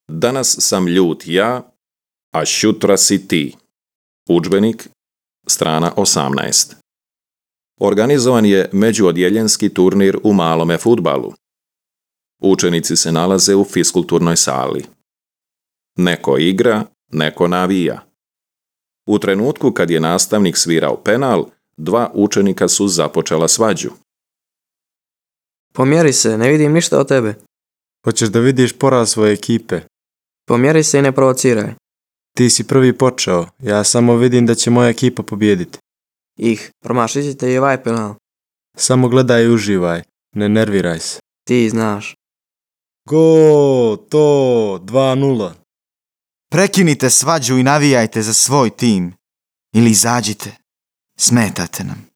Danas sam ljut ja, a šutra si ti. Udžbenik, strana 18. Organizovan je međuodjeljenski turnir u malome fudbalu. Učenici se nalaze u fiskulturnoj sali. Neko igra, neko navija. U trenutku kad je nastavnik svirao penal, 2 učenika su započela svađu. Pomjeri se, ne vidim ništa od tebe. Hoćeš da vidiš poraz svoje ekipe? Pomjeri se i ne provociraj. Ti si prvi počeo, ja samo vidim da će moja ekipa pobijediti. Promašit ćete i ovaj penal. Samo gledaj i uživaj, ne nerviraj se. Ti znaš. To, 2:0. Prekinite svađu i navijajte za svoj tim. Ili izađite. Smetate nam.